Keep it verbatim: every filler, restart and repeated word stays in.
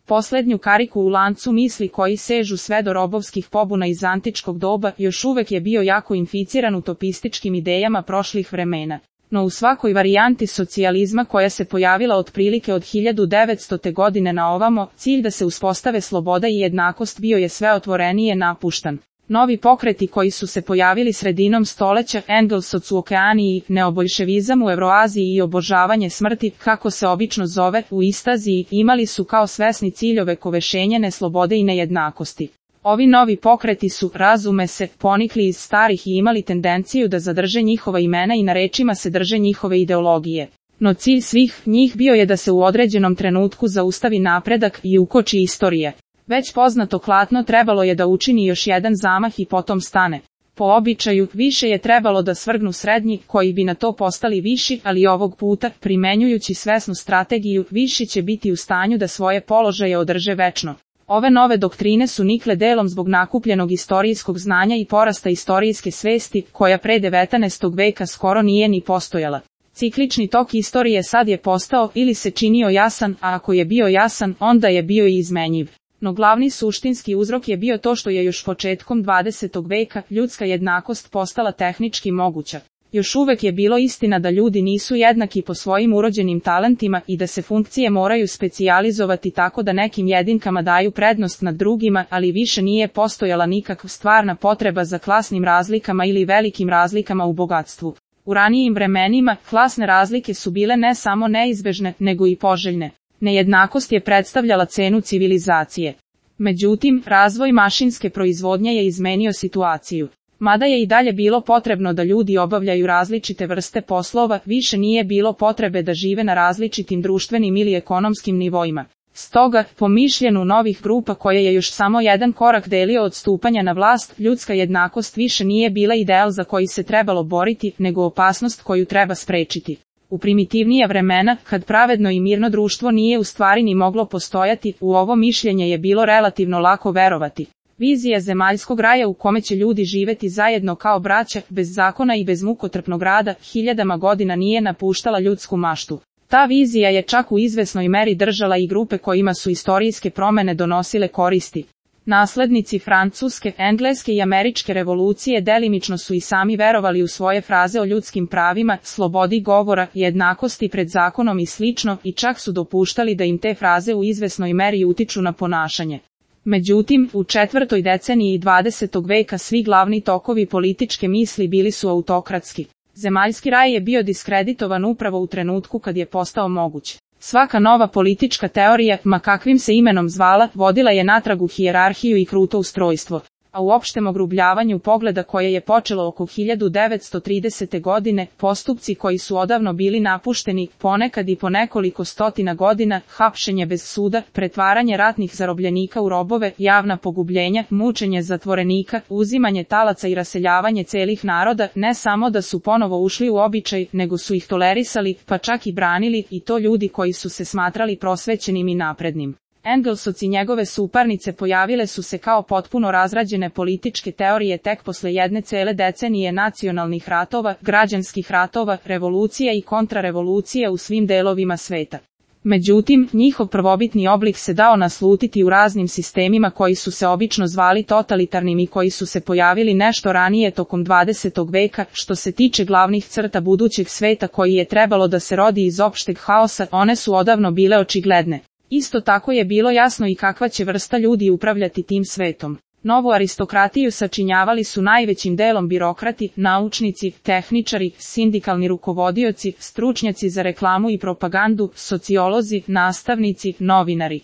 Poslednju kariku u lancu misli koji sežu sve do robovskih pobuna iz antičkog doba još uvek je bio jako inficiran utopističkim idejama prošlih vremena. No u svakoj varijanti socijalizma koja se pojavila otprilike od hiljadu devetstote godine na ovamo, cilj da se uspostave sloboda i jednakost bio je sve otvorenije napuštan. Novi pokreti koji su se pojavili sredinom stoleća, Engelsoc u Okeaniji, neoboljševizam u Evroaziji i obožavanje smrti, kako se obično zove, u Istaziji, imali su kao svesni cilj ovekovešenje neslobode i nejednakosti. Ovi novi pokreti su, razume se, ponikli iz starih i imali tendenciju da zadrže njihova imena i na rečima se drže njihove ideologije. No cilj svih njih bio je da se u određenom trenutku zaustavi napredak i ukoči istorije. Već poznato klatno trebalo je da učini još jedan zamah i potom stane. Po običaju, više je trebalo da svrgnu srednji, koji bi na to postali viši, ali ovog puta, primenjujući svesnu strategiju, viši će biti u stanju da svoje položaje održe večno. Ove nove doktrine su nikle delom zbog nakupljenog istorijskog znanja i porasta istorijske svesti, koja pre devetnaestog veka skoro nije ni postojala. Ciklični tok istorije sad je postao ili se činio jasan, a ako je bio jasan, onda je bio i izmenjiv. No glavni suštinski uzrok je bio to što je još početkom dvadesetog veka ljudska jednakost postala tehnički moguća. Još uvek je bilo istina da ljudi nisu jednaki po svojim urođenim talentima i da se funkcije moraju specijalizovati tako da nekim jedinkama daju prednost nad drugima, ali više nije postojala nikakva stvarna potreba za klasnim razlikama ili velikim razlikama u bogatstvu. U ranijim vremenima, klasne razlike su bile ne samo neizbežne, nego i poželjne. Nejednakost je predstavljala cenu civilizacije. Međutim, razvoj mašinske proizvodnje je izmenio situaciju. Mada je i dalje bilo potrebno da ljudi obavljaju različite vrste poslova, više nije bilo potrebe da žive na različitim društvenim ili ekonomskim nivoima. Stoga, po mišljenju novih grupa koje je još samo jedan korak delio od stupanja na vlast, ljudska jednakost više nije bila ideal za koji se trebalo boriti, nego opasnost koju treba sprečiti. U primitivnija vremena, kad pravedno i mirno društvo nije u stvari ni moglo postojati, u ovo mišljenje je bilo relativno lako verovati. Vizija zemaljskog raja u kome će ljudi živeti zajedno kao braća, bez zakona i bez mukotrpnog rada, hiljadama godina nije napuštala ljudsku maštu. Ta vizija je čak u izvesnoj meri držala i grupe kojima su istorijske promene donosile koristi. Naslednici francuske, engleske i američke revolucije delimično su i sami verovali u svoje fraze o ljudskim pravima, slobodi govora, jednakosti pred zakonom i slično, i čak su dopuštali da im te fraze u izvesnoj meri utiču na ponašanje. Međutim, u četvrtoj deceniji dvadesetog veka svi glavni tokovi političke misli bili su autokratski. Zemaljski raj je bio diskreditovan upravo u trenutku kad je postao moguć. Svaka nova politička teorija, ma kakvim se imenom zvala, vodila je natrag u hijerarhiju i kruto ustrojstvo. A u opštem ogrubljavanju pogleda koje je počelo oko hiljadu devetsto tridesete godine, postupci koji su odavno bili napušteni, ponekad i po nekoliko stotina godina, hapšenje bez suda, pretvaranje ratnih zarobljenika u robove, javna pogubljenja, mučenje zatvorenika, uzimanje talaca i raseljavanje celih naroda, ne samo da su ponovo ušli u običaj, nego su ih tolerisali, pa čak i branili, i to ljudi koji su se smatrali prosvećenim i naprednim. Engelsoc i njegove suparnice pojavile su se kao potpuno razrađene političke teorije tek posle jedne cele decenije nacionalnih ratova, građanskih ratova, revolucija i kontrarevolucija u svim delovima sveta. Međutim, njihov prvobitni oblik se dao naslutiti u raznim sistemima koji su se obično zvali totalitarnim i koji su se pojavili nešto ranije tokom dvadesetog veka. Što se tiče glavnih crta budućeg sveta koji je trebalo da se rodi iz opšteg haosa, one su odavno bile očigledne. Isto tako je bilo jasno i kakva će vrsta ljudi upravljati tim svetom. Novu aristokratiju sačinjavali su najvećim delom birokrati, naučnici, tehničari, sindikalni rukovodioci, stručnjaci za reklamu i propagandu, sociolozi, nastavnici, novinari.